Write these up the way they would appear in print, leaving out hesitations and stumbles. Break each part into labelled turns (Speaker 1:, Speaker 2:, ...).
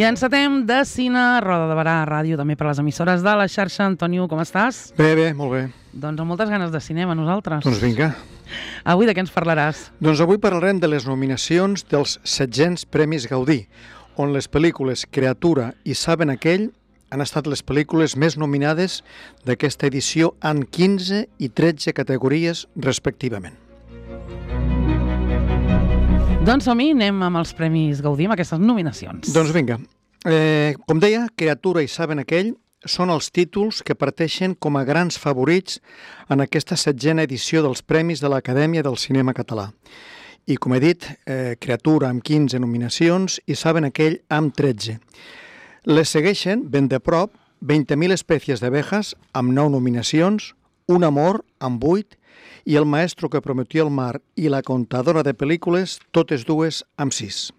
Speaker 1: I encetem de cine, Roda de Barà, ràdio, també per les emissores de la xarxa. Antonio, com estàs?
Speaker 2: Bé, molt bé.
Speaker 1: Doncs amb moltes ganes de cinema, nosaltres.
Speaker 2: Doncs vinga.
Speaker 1: Avui de què ens parlaràs?
Speaker 2: Doncs avui parlarem de les nominacions dels 700 Premis Gaudí, on les pel·lícules Creatura i Saben aquell han estat les pel·lícules més nominades d'aquesta edició en 15 i 13 categories respectivament.
Speaker 1: Doncs som-hi, anem amb els Premis Gaudí, amb aquestes nominacions.
Speaker 2: Doncs vinga. Com deia, Creatura i Saben aquell són els títols que parteixen com a grans favorits en aquesta 7a edició dels Premis de l'Acadèmia del Cinema Català. I com he dit, Creatura amb 15 nominacions i Saben aquell amb 13. Les segueixen ben de prop 20.000 espècies d'abejas amb 9 nominacions, Un amor amb 8 i El maestro que prometió el mar i La contadora de pel·lícules, totes dues amb 6.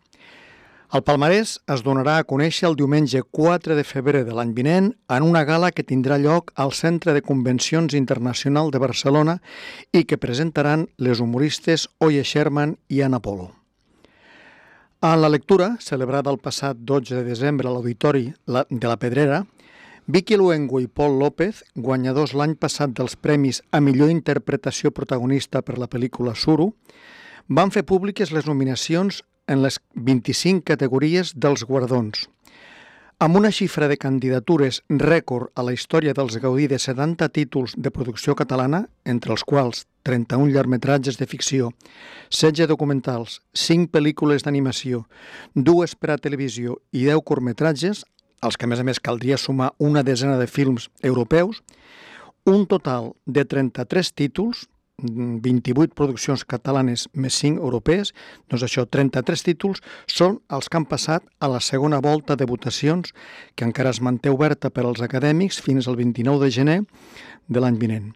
Speaker 2: El palmarès es donarà a conèixer el diumenge 4 de febrer de l'any vinent en una gala que tindrà lloc al Centre de Convencions Internacional de Barcelona i que presentaran les humoristes Oye Sherman i Ana Polo. En la lectura, celebrada el passat 12 de desembre a l'Auditori de la Pedrera, Vicky Luengo i Pol López, guanyadors l'any passat dels premis a millor interpretació protagonista per la pel·lícula Suro, van fer públiques les nominacions en les 25 categories dels guardons. Amb una xifra de candidatures rècord a la història dels Gaudí de 70 títols de producció catalana, entre els quals 31 llargmetratges de ficció, 16 documentals, 5 pel·lícules d'animació, 2 per a televisió i 10 curtmetratges, als que a més caldria sumar una desena de films europeus, un total de 33 títols, 28 produccions catalanes més 5 europees, doncs això, 33 títols, són els que han passat a la segona volta de votacions, que encara es manté oberta per als acadèmics fins al 29 de gener de l'any vinent.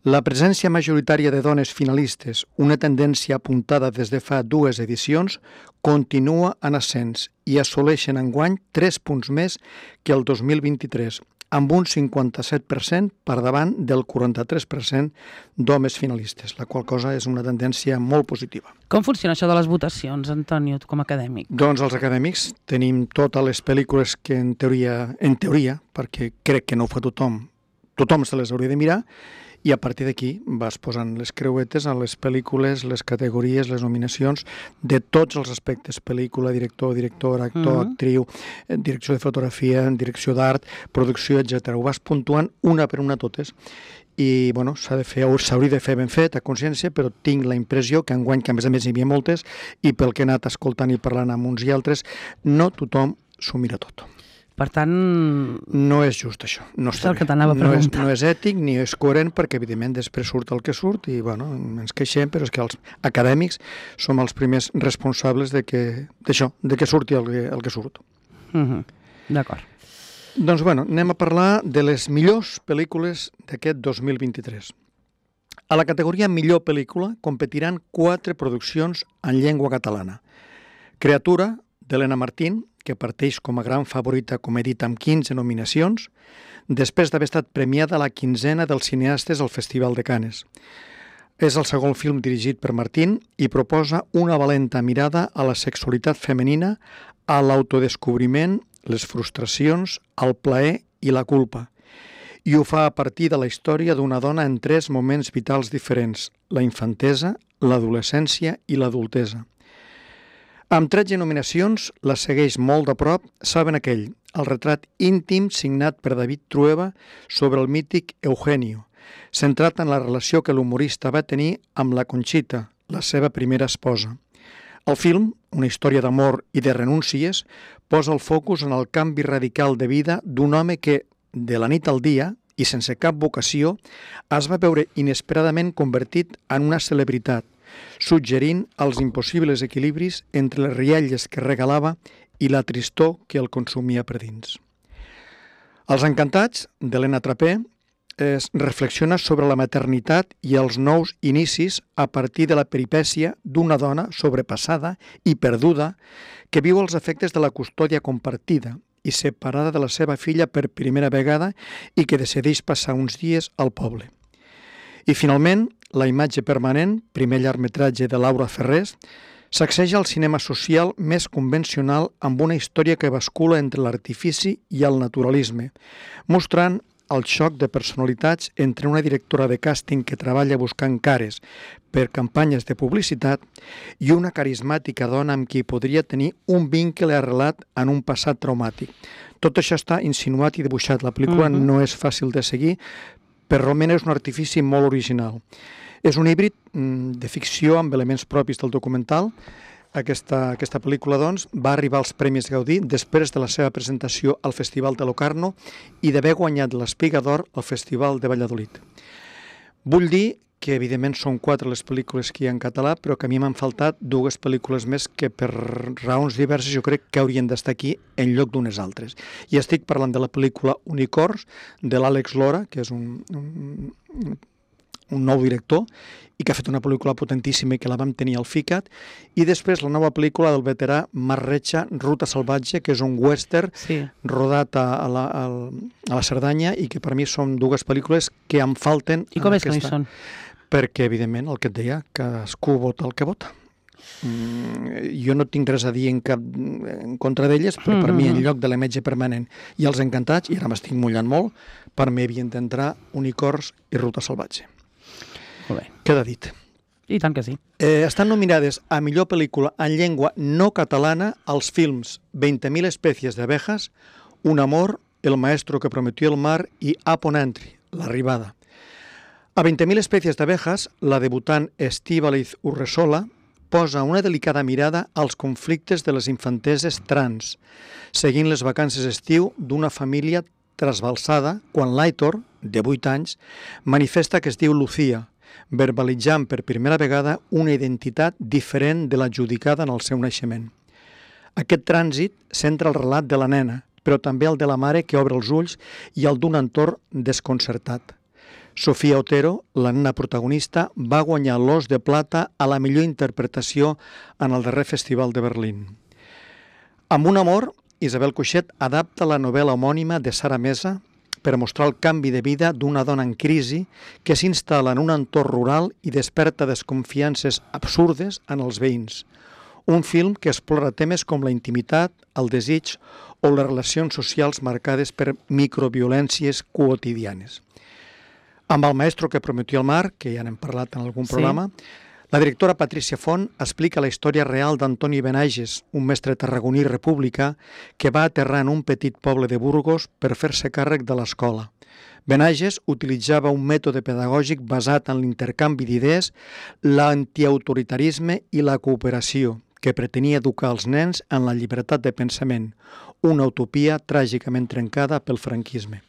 Speaker 2: La presència majoritària de dones finalistes, una tendència apuntada des de fa 2 edicions, continua en ascens i assoleixen enguany 3 punts més que el 2023, amb un 57% per davant del 43% d'homes finalistes, la qual cosa és una tendència molt positiva.
Speaker 1: Com funciona això de les votacions, Antonio, tu com a acadèmic?
Speaker 2: Doncs els acadèmics tenim totes les pel·lícules que en teoria, perquè crec que no ho fa tothom se les hauria de mirar, i a partir d'aquí vas posant les creuetes a les pel·lícules, les categories, les nominacions de tots els aspectes, pel·lícula, director, directora, actor, actriu, direcció de fotografia, direcció d'art, producció, etc. Ho vas puntuant una per una totes i bueno, s'hauria de fer ben fet, a consciència, però tinc la impressió que enguany, que a més hi havia moltes, i pel que he anat escoltant i parlant amb uns i altres, no tothom s'ho mira tot.
Speaker 1: Per tant...
Speaker 2: No és just això. No està bé. No és ètic ni és coherent perquè, evidentment, després surt el que surt i, bueno, ens queixem, però és que els acadèmics som els primers responsables d'això, de que surti el que surt.
Speaker 1: D'acord.
Speaker 2: Doncs, bueno, anem a parlar de les millors pel·lícules d'aquest 2023. A la categoria millor pel·lícula competiran 4 produccions en llengua catalana. Creatura, d'Helena Martín, que parteix com a gran favorita, com he dit, amb 15 nominacions, després d'haver estat premiada a la 15a dels cineastes al Festival de Canes. És el segon film dirigit per Martín i proposa una valenta mirada a la sexualitat femenina, a l'autodescobriment, les frustracions, el plaer i la culpa. I ho fa a partir de la història d'una dona en 3 moments vitals diferents, la infantesa, l'adolescència i l'adultesa. Amb 13 nominacions, la segueix molt de prop Saben aquell, el retrat íntim signat per David Trueba sobre el mític Eugenio, centrat en la relació que l'humorista va tenir amb la Conxita, la seva primera esposa. El film, una història d'amor i de renúncies, posa el focus en el canvi radical de vida d'un home que, de la nit al dia, i sense cap vocació, es va veure inesperadament convertit en una celebritat, suggerint els impossibles equilibris entre les rialles que regalava i la tristor que el consumia per dins. Els encantats, d'Helena Trapé, es reflexiona sobre la maternitat i els nous inicis a partir de la peripècia d'una dona sobrepassada i perduda que viu els efectes de la custòdia compartida i separada de la seva filla per primera vegada i que decideix passar uns dies al poble. I finalment, La imatge permanent, primer llargmetratge de Laura Ferrés, Sacseja el cinema social més convencional amb una història que bascula entre l'artifici i el naturalisme, mostrant el xoc de personalitats entre una directora de càsting que treballa buscant cares per campanyes de publicitat i una carismàtica dona amb qui podria tenir un vincle arrelat en un passat traumàtic. Tot això està insinuat i dibuixat. La pel·lícula no és fàcil de seguir, però realment és un artifici molt original. És un híbrid de ficció amb elements propis del documental. Aquesta pel·lícula, doncs, va arribar als Premis Gaudí després de la seva presentació al Festival de Locarno i d'haver guanyat l'Espiga d'Or al Festival de Valladolid. Vull dir que, evidentment, són 4 les pel·lícules que hi ha en català, però que a mi m'han faltat 2 pel·lícules més que, per raons diverses, jo crec que haurien d'estar aquí en lloc d'unes altres. I estic parlant de la pel·lícula Unicorns, de l'Àlex Lora, que és un nou director, i que ha fet una pel·lícula potentíssima i que la vam tenir al FICAT, i després la nova pel·lícula del veterà Marc Retxa, Ruta Salvatge, que és un western rodat a la Cerdanya i que per mi són 2 pel·lícules que em falten.
Speaker 1: I com és que no hi són?
Speaker 2: Perquè, evidentment, el que et deia, cadascú vota el que vota. Jo no tinc res a dir en contra d'elles, però per mi, en lloc de la imatge permanent i els encantats, i ara m'estic mullant molt, per mi havien d'entrar Unicorns i Ruta Salvatge.
Speaker 1: Molt bé.
Speaker 2: Queda dit.
Speaker 1: I tant que sí.
Speaker 2: Estan nominades a millor pel·lícula en llengua no catalana als films 20.000 especies de abejas, Un amor, El maestro que prometió el mar i Upon Entry, l'arribada. A 20.000 especies d'abejas, la debutant Estíbaliz Urresola posa una delicada mirada als conflictes de les infanteses trans, seguint les vacances d'estiu d'una família trasbalsada quan l'Aitor, de 8 anys, manifesta que es diu Lucía, verbalitzant per primera vegada una identitat diferent de l'adjudicada en el seu naixement. Aquest trànsit centra el relat de la nena, però també el de la mare que obre els ulls i el d'un entorn desconcertat. Sofia Otero, la nena protagonista, va guanyar l'Os de Plata a la millor interpretació en el darrer Festival de Berlín. Amb Un amor, Isabel Coixet adapta la novel·la homònima de Sara Mesa per mostrar el canvi de vida d'una dona en crisi que s'instal·la en un entorn rural i desperta desconfiances absurdes en els veïns. Un film que explora temes com la intimitat, el desig o les relacions socials marcades per microviolències quotidianes. Amb El maestro que prometió el mar, que ja n'hem parlat en algun programa, la directora Patricia Font explica la història real d'Antoni Benages, un mestre tarragoní republicà que va aterrar en un petit poble de Burgos per fer-se càrrec de l'escola. Benages utilitzava un mètode pedagògic basat en l'intercanvi d'idees, l'antiautoritarisme i la cooperació, que pretenia educar els nens en la llibertat de pensament, una utopia tràgicament trencada pel franquisme.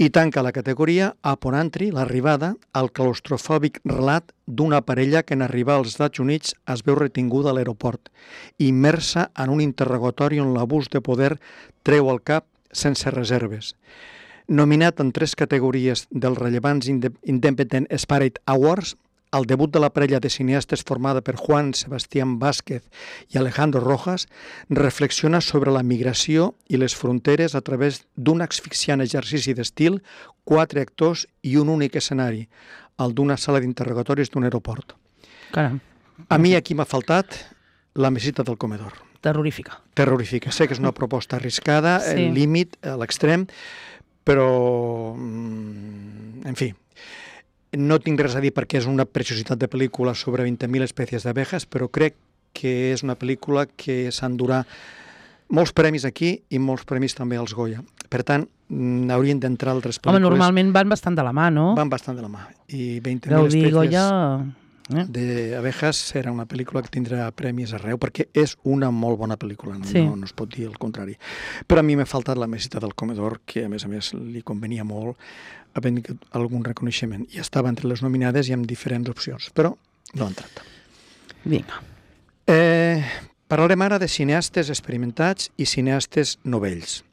Speaker 2: I tanca la categoria Upon Entry, l'arribada, el claustrofòbic relat d'una parella que en arribar als Estats Units es veu retinguda a l'aeroport, immersa en un interrogatori on l'abús de poder treu el cap sense reserves. Nominat en 3 categories dels rellevants Independent Spirit Awards, el debut de la parella de cineastes formada per Juan Sebastián Vázquez i Alejandro Rojas reflexiona sobre la migració i les fronteres a través d'un asfixiant exercici d'estil, 4 actors i un únic escenari, el d'una sala d'interrogatoris d'un aeroport.
Speaker 1: Caram.
Speaker 2: A mi aquí m'ha faltat La mesita del comedor.
Speaker 1: Terrorífica.
Speaker 2: Terrorífica. Sé que és una proposta arriscada, el límit, a l'extrem, però, en fi, no tinc res a dir perquè és una preciositat de pel·lícula sobre 20.000 espècies d'abejas, però crec que és una pel·lícula que s'endurà molts premis aquí i molts premis també als Goya. Per tant, haurien d'entrar altres pel·lícules.
Speaker 1: Home, normalment van bastant de la mà, no?
Speaker 2: Van bastant de la mà. I 20.000
Speaker 1: Gaudí,
Speaker 2: espècies
Speaker 1: Goya...
Speaker 2: d'abejas serà una pel·lícula que tindrà premis arreu, perquè és una molt bona pel·lícula, no es pot dir el contrari. Però a mi m'ha faltat La mesita del comedor, que a més li convenia molt havent algun reconeixement. I estava entre les nominades i amb diferents opcions, però no ha entrat.
Speaker 1: Vinga.
Speaker 2: Parlarem ara de cineastes experimentats i cineastes novells.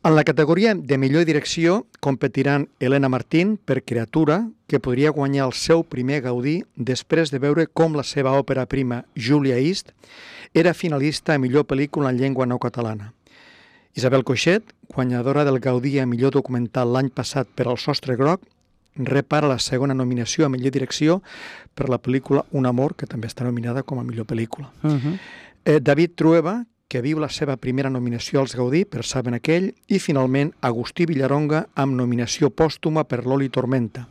Speaker 2: En la categoria de millor direcció competiran Elena Martín per Creatura, que podria guanyar el seu primer Gaudí després de veure com la seva òpera prima, Julia East, era finalista a millor pel·lícula en llengua no catalana. Isabel Coixet, guanyadora del Gaudí a millor documental l'any passat per El sostre groc, rep ara la segona nominació a millor direcció per la pel·lícula Un amor, que també està nominada com a millor pel·lícula. David Trueba, que viu la seva primera nominació als Gaudí per Saben aquell, i finalment Agustí Villaronga amb nominació pòstuma per L'Oli Tormenta.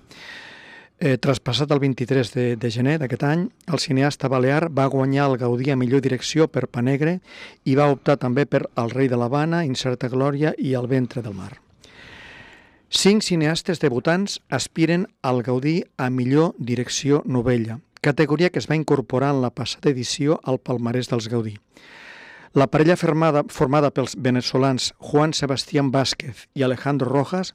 Speaker 2: Traspassat el 23 de gener d'aquest any, el cineasta balear va guanyar el Gaudí a millor direcció per Pa Negre i va optar també per El rei de l'Havana, Incerta glòria i El ventre del mar. 5 cineastes debutants aspiren al Gaudí a millor direcció novella, categoria que es va incorporar en la passada edició al palmarès dels Gaudí. La parella formada pels venezolans Juan Sebastián Vázquez i Alejandro Rojas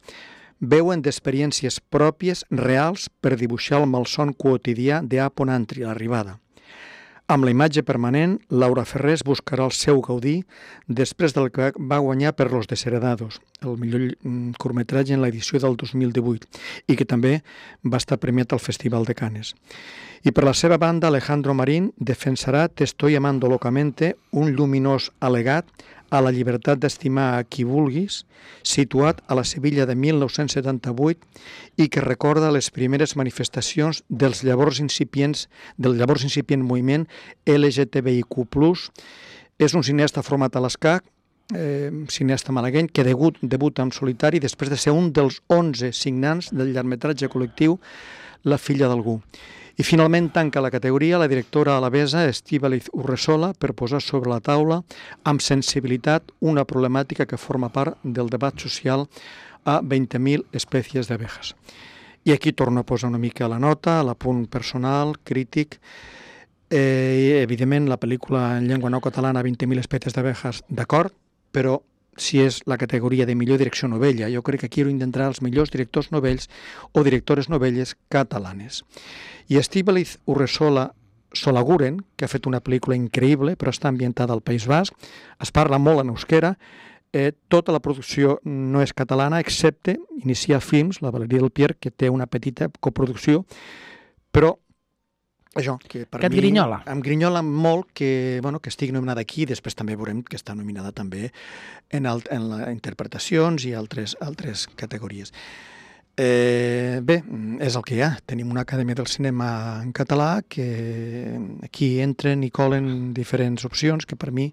Speaker 2: veuen d'experiències pròpies reals per dibuixar el malson quotidià d'Apon Antri, l'arribada. Amb la imatge permanent, Laura Ferrés buscarà el seu Gaudí després del que va guanyar per Los Desheredados, el millor curtmetratge en l'edició del 2018, i que també va estar premiat al Festival de Cannes. I per la seva banda, Alejandro Marín defensarà Te estoy amando locamente, un lluminós al·legat a la llibertat d'estimar a qui vulguis, situat a la Sevilla de 1978 i que recorda les primeres manifestacions del llavors incipient moviment LGTBIQ+. És un cineasta format a l'ESCAC, cineasta malagueny, que debuta en solitari després de ser un dels 11 signants del llargmetratge col·lectiu La filla d'algú. I finalment tanca la categoria la directora alavesa Estíbaliz Urresola per posar sobre la taula amb sensibilitat una problemàtica que forma part del debat social a 20.000 espècies d'abejas. I aquí torno a posar una mica la nota, l'apunt personal, crític. Evidentment, la pel·lícula en llengua no catalana 20.000 espècies d'abejas, d'acord, però si és la categoria de millor direcció novella, jo crec que aquí intentarà els millors directors novells o directores novelles catalanes. I Estíbaliz Urresola Solaguren, que ha fet una pel·lícula increïble, però està ambientada al País Basc, es parla molt en euskera, tota la producció no és catalana, excepte Inicia Films, la Valeria del Pierre, que té una petita coproducció, però això, que per mi...
Speaker 1: et grinyola.
Speaker 2: Em grinyola molt que estigui nominada aquí, després també veurem que està nominada també en interpretacions i altres categories. Bé, és el que hi ha. Tenim una acadèmia del cinema en català que aquí entren i colen diferents opcions que per mi,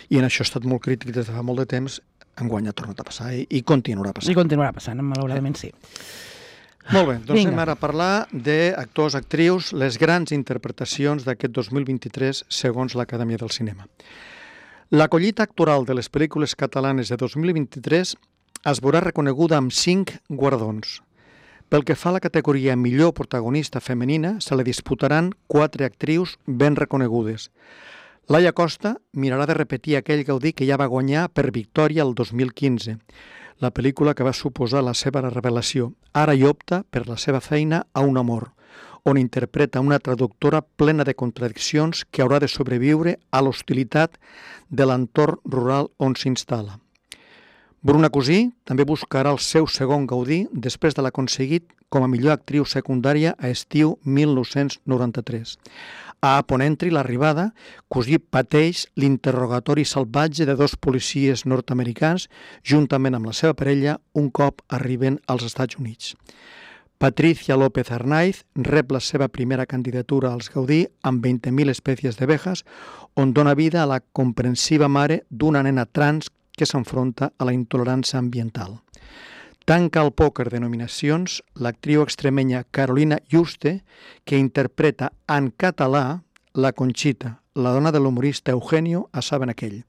Speaker 2: i en això he estat molt crític des de fa molt de temps, enguany ha tornat a passar i continuarà passant.
Speaker 1: I continuarà passant, malauradament sí.
Speaker 2: Molt bé, doncs anem ara a parlar d'actors, actrius, les grans interpretacions d'aquest 2023 segons l'Acadèmia del Cinema. La collita actoral de les pel·lícules catalanes de 2023 es veurà reconeguda amb 5 guardons. Pel que fa a la categoria millor protagonista femenina, se li disputaran 4 actrius ben reconegudes. Laia Costa mirarà de repetir aquell Gaudí que ja va guanyar per Victòria el 2015, la pel·lícula que va suposar la seva revelació. Ara hi opta per la seva feina a Un amor, on interpreta una traductora plena de contradiccions que haurà de sobreviure a l'hostilitat de l'entorn rural on s'instal·la. Bruna Cusí també buscarà el seu segon Gaudí després de l'aconseguit com a millor actriu secundària a estiu 1993. A Apon Antri, l'arribada, Cusí pateix l'interrogatori salvatge de 2 policies nord-americans juntament amb la seva parella un cop arriben als Estats Units. Patricia López Arnaiz rep la seva primera candidatura als Gaudí amb 20.000 espècies d'abejas, on dona vida a la comprensiva mare d'una nena trans que s'enfronta a la intolerància ambiental. Tanca el pòquer de nominacions l'actriu extremenya Carolina Yuste, que interpreta en català la Conxita, la dona de l'humorista Eugenio a Saben aquell.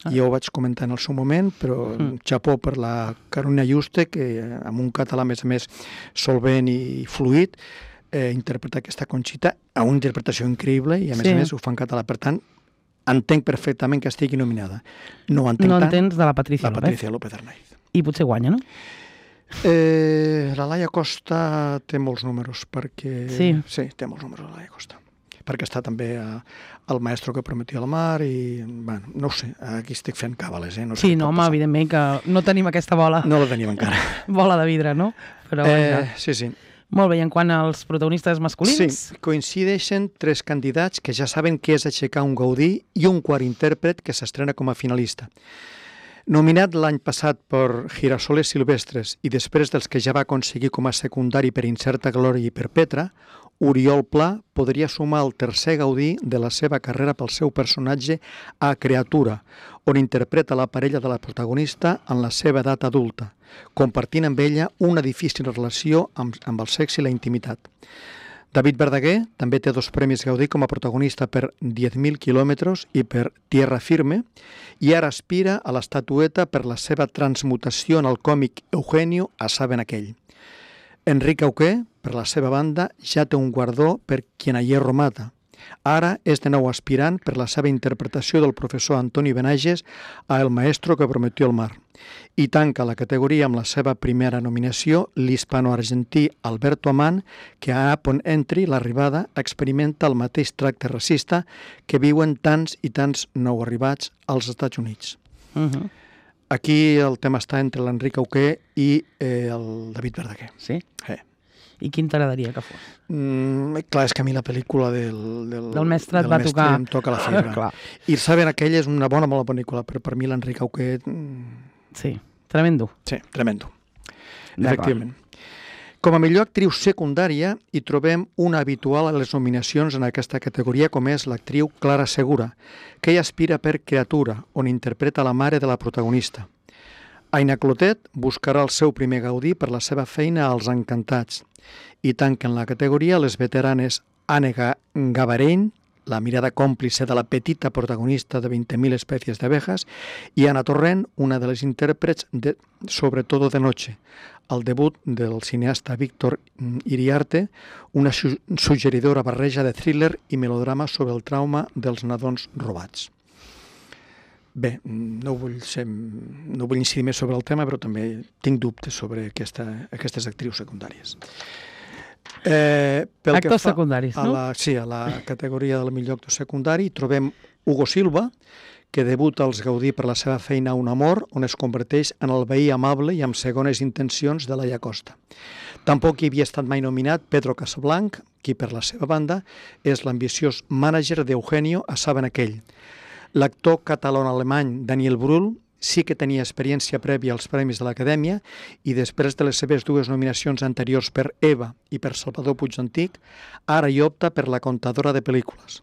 Speaker 2: Jo ho vaig comentar en el seu moment, però xapó per la Carolina Yuste, que amb un català més a més solvent i fluid, interpreta aquesta Conxita a una interpretació increïble i a més ho fa en català. Per tant, entenc perfectament que estigui nominada. No
Speaker 1: entens de la Patricia
Speaker 2: López Arnaiz.
Speaker 1: I potser guanya, no?
Speaker 2: La Laia Costa té molts números, perquè...
Speaker 1: Sí,
Speaker 2: té molts números la Laia Costa. Perquè està també al Maestro que prometia el mar i, bueno, no ho sé, aquí estic fent càbales, no sé.
Speaker 1: Sí, no, home, evidentment que no tenim aquesta bola.
Speaker 2: No la tenim encara.
Speaker 1: Bola de vidre, no? Però
Speaker 2: sí.
Speaker 1: Molt bé, i en quant als protagonistes masculins?
Speaker 2: Sí, coincideixen 3 candidats que ja saben què és aixecar un Gaudí i un quart intèrpret que s'estrena com a finalista. Nominat l'any passat per Girasoles Silvestres i després dels que ja va aconseguir com a secundari per Incerta Glòria i per Petra, Oriol Pla podria sumar el tercer Gaudí de la seva carrera pel seu personatge a Creatura, on interpreta la parella de la protagonista en la seva edat adulta, compartint amb ella una difícil relació amb el sexe i la intimitat. David Verdaguer també té 2 premis Gaudí com a protagonista per 10.000 quilòmetres i per Tierra Firme, i ara aspira a l'estatueta per la seva transmutació en el còmic Eugenio a Saben aquell. Enric Auqué, per la seva banda, ja té un guardó per Quien a hierro mata. Ara és de nou aspirant per la seva interpretació del professor Antoni Benages a El maestro que prometió el mar. I tanca la categoria amb la seva primera nominació l'hispano-argentí Alberto Amán, que a Upon Entry, l'arribada, experimenta el mateix tracte racista que viuen tants i tants nou arribats als Estats Units. Aquí el tema està entre l'Enric Auqué i el David Verdaguer.
Speaker 1: Sí? I quin t'agradaria que fos?
Speaker 2: Clar, és que a mi la pel·lícula del
Speaker 1: mestre et va tocar.
Speaker 2: Em toca la fibra. I Saben aquell és una bona pel·lícula, però per mi l'Enric Auqué...
Speaker 1: Sí, tremendo.
Speaker 2: Sí, tremendo. Efectivament. Com a millor actriu secundària hi trobem una habitual a les nominacions en aquesta categoria, com és l'actriu Clara Segura, que hi aspira per Creatura, on interpreta la mare de la protagonista. Aina Clotet buscarà el seu primer Gaudí per la seva feina als Encantats, i tanquen la categoria les veteranes Anne Gavarén, la mirada còmplice de la petita protagonista de 20.000 espècies d'abejas, i Ana Torrent, una de les intèrprets de Sobretot de noche, el debut del cineasta Víctor Iriarte, una suggeridora barreja de thriller i melodrama sobre el trauma dels nadons robats. Bé, no vull incidir més sobre el tema, però també tinc dubtes sobre aquestes actrius secundàries.
Speaker 1: Actors secundaris, no?
Speaker 2: Sí, a la categoria del millor actor secundari trobem Hugo Silva, que debuta als Gaudí per la seva feina Un amor, on es converteix en el veí amable i amb segones intencions de Laia Costa. Tampoc hi havia estat mai nominat Pedro Casablanc, qui per la seva banda és l'ambiciós mànager d'Eugenio a Saben aquell. L'actor català-alemany Daniel Brühl sí que tenia experiència prèvia als Premis de l'Acadèmia i després de les seves 2 nominacions anteriors per Eva i per Salvador Puig-Antich, ara hi opta per La contadora de pel·lícules.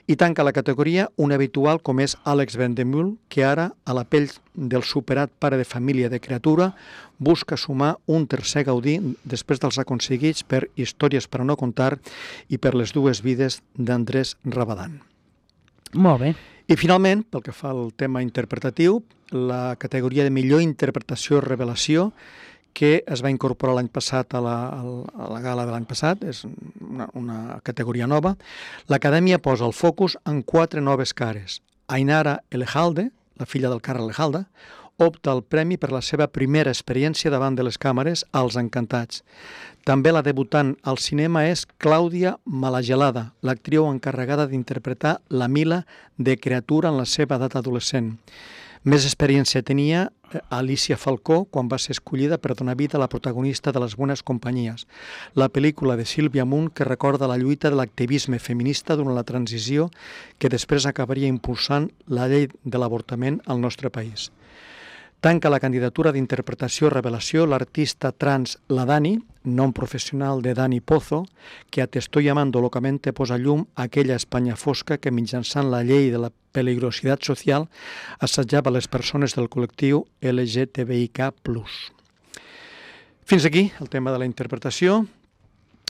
Speaker 2: I tanca la categoria un habitual com és Àlex Vendemühl, que ara, a la pell del superat pare de família de Creatura, busca sumar un tercer Gaudí després dels aconseguits per Històries per a no contar i per Les dues vides d'Andrés Rabadán.
Speaker 1: Molt bé.
Speaker 2: I finalment, pel que fa al tema interpretatiu, la categoria de millor interpretació i revelació, que es va incorporar l'any passat a la gala de l'any passat, és una categoria nova. L'Acadèmia posa el focus en 4 noves cares. Ainara Elejalde, la filla del Carles Elejalde, opta al premi per la seva primera experiència davant de les càmeres als Encantats. També la debutant al cinema és Clàudia Malagelada, l'actriu encarregada d'interpretar la Mila de Creatura en la seva edat adolescent. Més experiència tenia Alicia Falcó quan va ser escollida per donar vida a la protagonista de Les bones companyies, la pel·lícula de Sílvia Munt que recorda la lluita de l'activisme feminista durant la transició que després acabaria impulsant la llei de l'avortament al nostre país. Tanca la candidatura d'interpretació i revelació l'artista trans La Dani, nom professional de Dani Pozo, que a Te estoy amando locamente posa llum a aquella Espanya fosca que mitjançant la llei de la peligrositat social assetjava les persones del col·lectiu LGTBIK+. Fins aquí el tema de la interpretació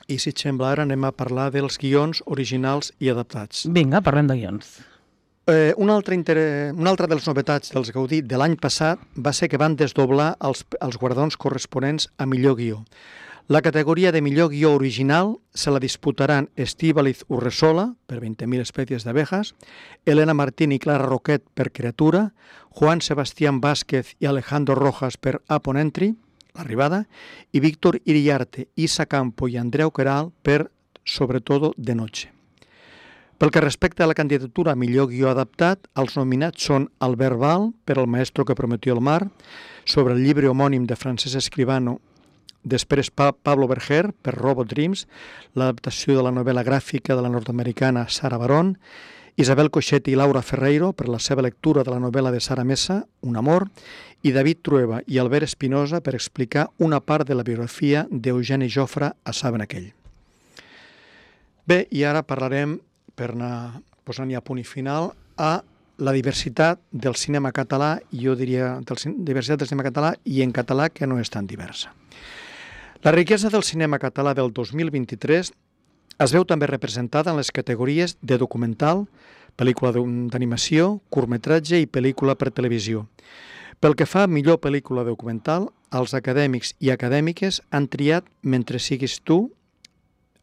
Speaker 2: i, si et sembla, ara anem a parlar dels guions originals i adaptats.
Speaker 1: Vinga, parlem de guions.
Speaker 2: Una altra de les novetats dels Gaudí de l'any passat va ser que van desdoblar els guardons corresponents a millor guió. La categoria de millor guió original se la disputaran Estíbaliz Urresola, per 20.000 espècies d'abejas, Elena Martín i Clara Roquet per Creatura, Juan Sebastián Vázquez i Alejandro Rojas per Upon Entry, l'arribada, i Víctor Iriarte, Isa Campo i Andreu Queralt per Sobretot de noche. Pel que respecta a la candidatura a millor guió adaptat, els nominats són Albert Val per El maestro que prometió el mar, sobre el llibre homònim de Francesc Escribano, després Pablo Berger per Robot Dreams, l'adaptació de la novel·la gràfica de la nord-americana Sarah Baron, Isabel Coixet i Laura Ferreiro per la seva lectura de la novel·la de Sara Messa, Un amor, i David Trueba i Albert Espinosa per explicar una part de la biografia d'Eugeni Jofre a Saben aquell. Bé, i ara parlarem, per anar posant ja punt i final, a la diversitat del cinema català, jo diria diversitat del cinema català i en català que no és tan diversa. La riquesa del cinema català del 2023 es veu també representada en les categories de documental, pel·lícula d'animació, curtmetratge i pel·lícula per televisió. Pel que fa a millor pel·lícula documental, els acadèmics i acadèmiques han triat Mentre siguis tu,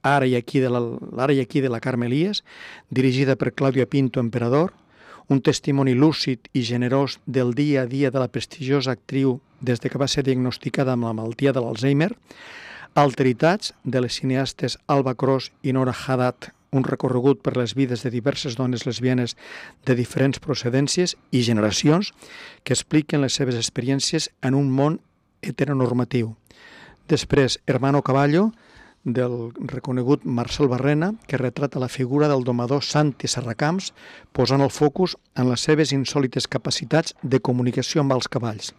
Speaker 2: Ara i aquí de la Carme Elias, dirigida per Clàudia Pinto Emperador, un testimoni lúcid i generós del dia a dia de la prestigiosa actriu des que va ser diagnosticada amb la malaltia de l'Alzheimer, Alteritats, de les cineastes Alba Cros i Nora Haddad, un recorregut per les vides de diverses dones lesbianes de diferents procedències i generacions que expliquen les seves experiències en un món heteronormatiu. Després, Hermano Caballo, del reconegut Marcel Barrena, que retrata la figura del domador Santi Serracamps, posant el focus en les seves insòlites capacitats de comunicació amb els cavalls.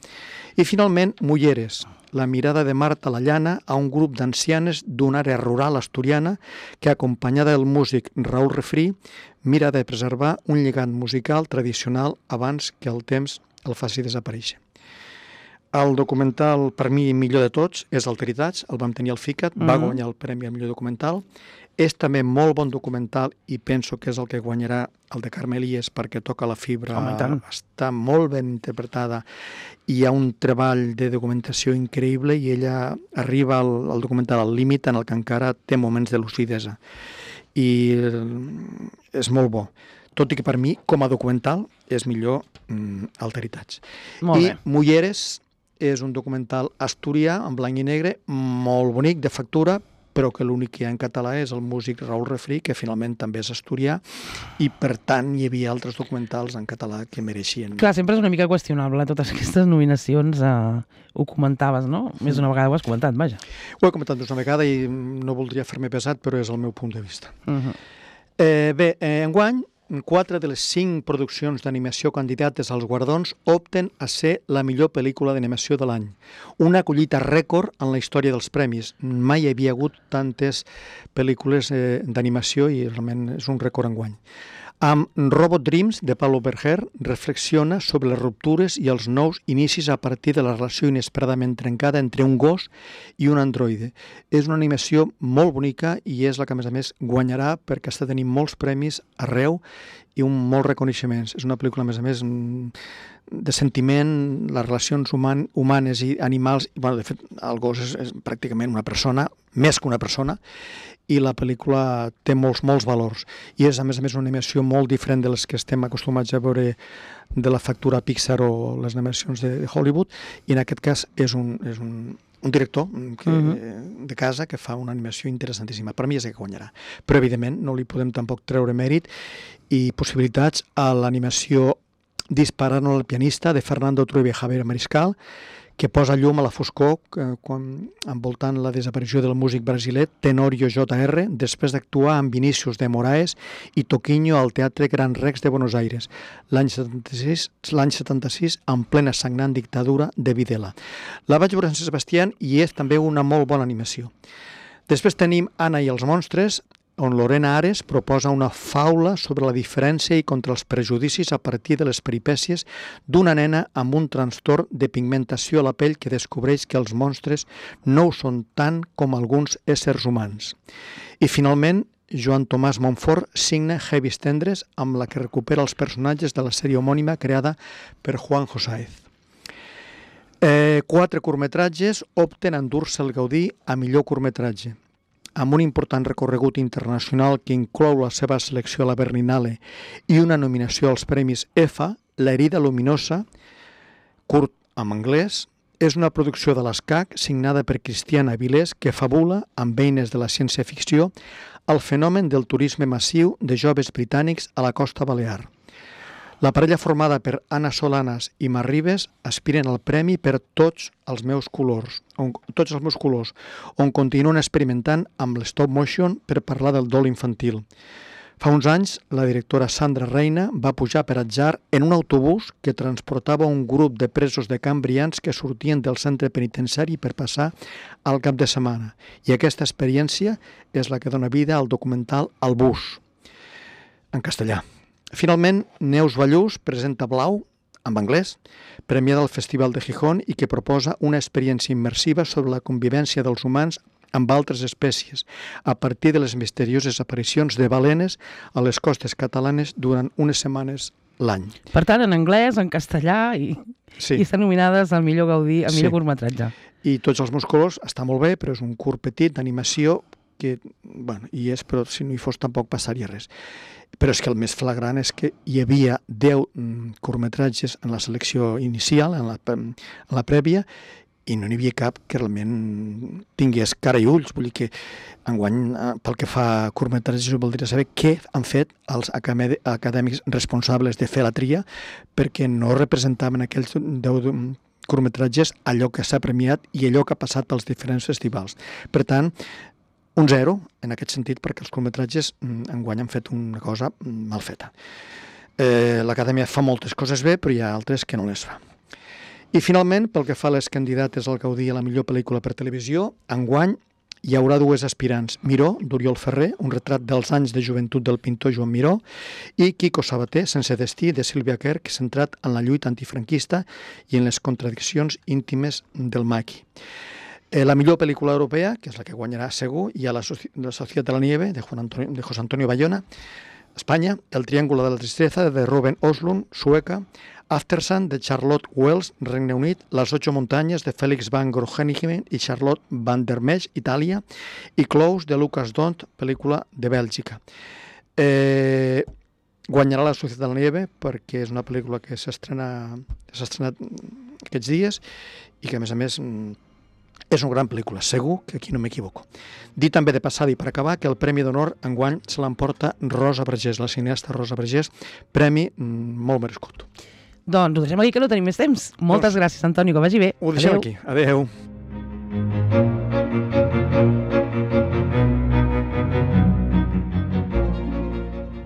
Speaker 2: I finalment, Mulleres, la mirada de Marta Lallana a un grup d'ancianes d'una àrea rural asturiana que, acompanyada del músic Raül Refrí, mira de preservar un lligam musical tradicional abans que el temps el faci desaparèixer. El documental, per mi, millor de tots, és Alteritats, el vam tenir al FICAT, va guanyar el premi al millor documental. És també molt bon documental i penso que és el que guanyarà el de Carme Elias perquè toca la fibra, està molt ben interpretada i hi ha un treball de documentació increïble i ella arriba al documental al límit en el que encara té moments de lucidesa. I és molt bo. Tot i que per mi, com a documental, és millor Alteritats. I Mulleres és un documental asturià, en blanc i negre, molt bonic, de factura, però que l'únic que hi ha en català és el músic Raül Refrí, que finalment també és asturià, i per tant hi havia altres documentals en català que mereixien.
Speaker 1: Clar, sempre és una mica qüestionable, totes aquestes nominacions, ho comentaves, no? Més d'una vegada ho has comentat, vaja.
Speaker 2: Ho he comentat més una vegada i no voldria fer-me pesat, però és el meu punt de vista. Bé, enguany, 4 de les 5 produccions d'animació candidates als guardons opten a ser la millor pel·lícula d'animació de l'any. Una collita rècord en la història dels premis. Mai hi havia hagut tantes pel·lícules d'animació i realment és un rècord enguany. Amb Robot Dreams, de Pablo Berger, reflexiona sobre les ruptures i els nous inicis a partir de la relació inesperadament trencada entre un gos i un androide. És una animació molt bonica i és la que, a més, guanyarà perquè està tenint molts premis arreu i molts reconeixements. És una pel·lícula, a més, de sentiment, les relacions humanes i animals. De fet, el gos és pràcticament una persona, més que una persona, i la pel·lícula té molts valors. I és, a més, una animació molt diferent de les que estem acostumats a veure de la factura Pixar o les animacions de Hollywood, i en aquest cas és un director de casa que fa una animació interessantíssima. Per mi és el que guanyarà. Però, evidentment, no li podem tampoc treure mèrit i possibilitats a l'animació Disparant al pianista, de Fernando Trueba i Javier Mariscal, que posa llum a la foscor envoltant la desaparició del músic brasiler Tenorio J.R. després d'actuar amb Vinícius de Moraes i Toquinho al Teatre Gran Rex de Buenos Aires, l'any 76, en plena sagnant dictadura de Videla. La vaig veure en Sant Sebastián i és també una molt bona animació. Després tenim Anna i els monstres, on Lorena Ares proposa una faula sobre la diferència i contra els prejudicis a partir de les peripècies d'una nena amb un trastorn de pigmentació a la pell que descobreix que els monstres no ho són tant com alguns éssers humans. I finalment, Joan Tomàs Montfort signa Heavis Tendres, amb la que recupera els personatges de la sèrie homònima creada per Juan Josáez. 4 curtmetratges opten a endur-se el Gaudí a millor curtmetratge. Amb un important recorregut internacional que inclou la seva selecció a la Berlinale i una nominació als premis EFA, La herida luminosa, curt en anglès, és una producció de l'ESCAC signada per Cristiana Avilés que fabula, amb eines de la ciència-ficció, el fenomen del turisme massiu de joves britànics a la costa balear. La parella formada per Anna Solanas i Mar Ribes aspiren al premi per tots els meus colors, on continuen experimentant amb l'stop motion per parlar del dol infantil. Fa uns anys, la directora Sandra Reina va pujar per atzar en un autobús que transportava un grup de presos de cambrians que sortien del centre penitenciari per passar al cap de setmana. I aquesta experiència és la que dona vida al documental El bus, en castellà. Finalment, Neus Ballús presenta Blau, en anglès, premiada al Festival de Gijón i que proposa una experiència immersiva sobre la convivència dels humans amb altres espècies, a partir de les misterioses aparicions de balenes a les costes catalanes durant unes setmanes l'any.
Speaker 1: Per tant, en anglès, en castellà i estan nominades al millor Gaudí, al millor curtmetratge.
Speaker 2: I Tots els meus colors està molt bé, però és un curt petit d'animació que, bueno, hi és, però si no hi fos tampoc passaria res. Però és que el més flagrant és que hi havia 10 curtmetratges en la selecció inicial, en la prèvia, i no n'hi havia cap que realment tingués cara i ulls. Vull dir que enguany, pel que fa a curtmetratges, jo voldria saber què han fet els acadèmics responsables de fer la tria, perquè no representaven aquells 10 curtmetratges allò que s'ha premiat i allò que ha passat pels diferents festivals. Per tant, un 0 en aquest sentit, perquè els curtmetratges enguany han fet una cosa mal feta. L'Acadèmia fa moltes coses bé, però hi ha altres que no les fa. I finalment, pel que fa a les candidates al Gaudí a la millor pel·lícula per televisió, enguany hi haurà 2 aspirants. Miró, d'Oriol Ferrer, un retrat dels anys de joventut del pintor Joan Miró, i Quico Sabater, Sense destí, de Sílvia Querch, centrat en la lluita antifranquista i en les contradiccions íntimes del maqui. La millor pel·lícula europea, que és la que guanyarà segur, hi ha La Sociedad de la Nieve, de José Antonio Bayona, Espanya, El Triángulo de la Tristeza, de Ruben Östlund, Sueca, Aftersun, de Charlotte Wells, Regne Unit, Las 8 Montañas, de Félix van Groningen i Charlotte van der Mesch, Itàlia, i Close, de Lucas Dont, pel·lícula de Bèlgica. Guanyarà La Sociedad de la Nieve perquè és una pel·lícula que s'ha estrenat aquests dies i que, a més, és una gran pel·lícula, segur que aquí no m'equivoco. Dir també de passada i per acabar que el Premi d'Honor enguany se l'emporta Rosa Vergés, la cineasta Rosa Vergés, premi molt merescut.
Speaker 1: Doncs ho deixem aquí que no tenim més temps. Moltes gràcies, Antoni, que vagi bé.
Speaker 2: Ho deixem aquí. Adéu.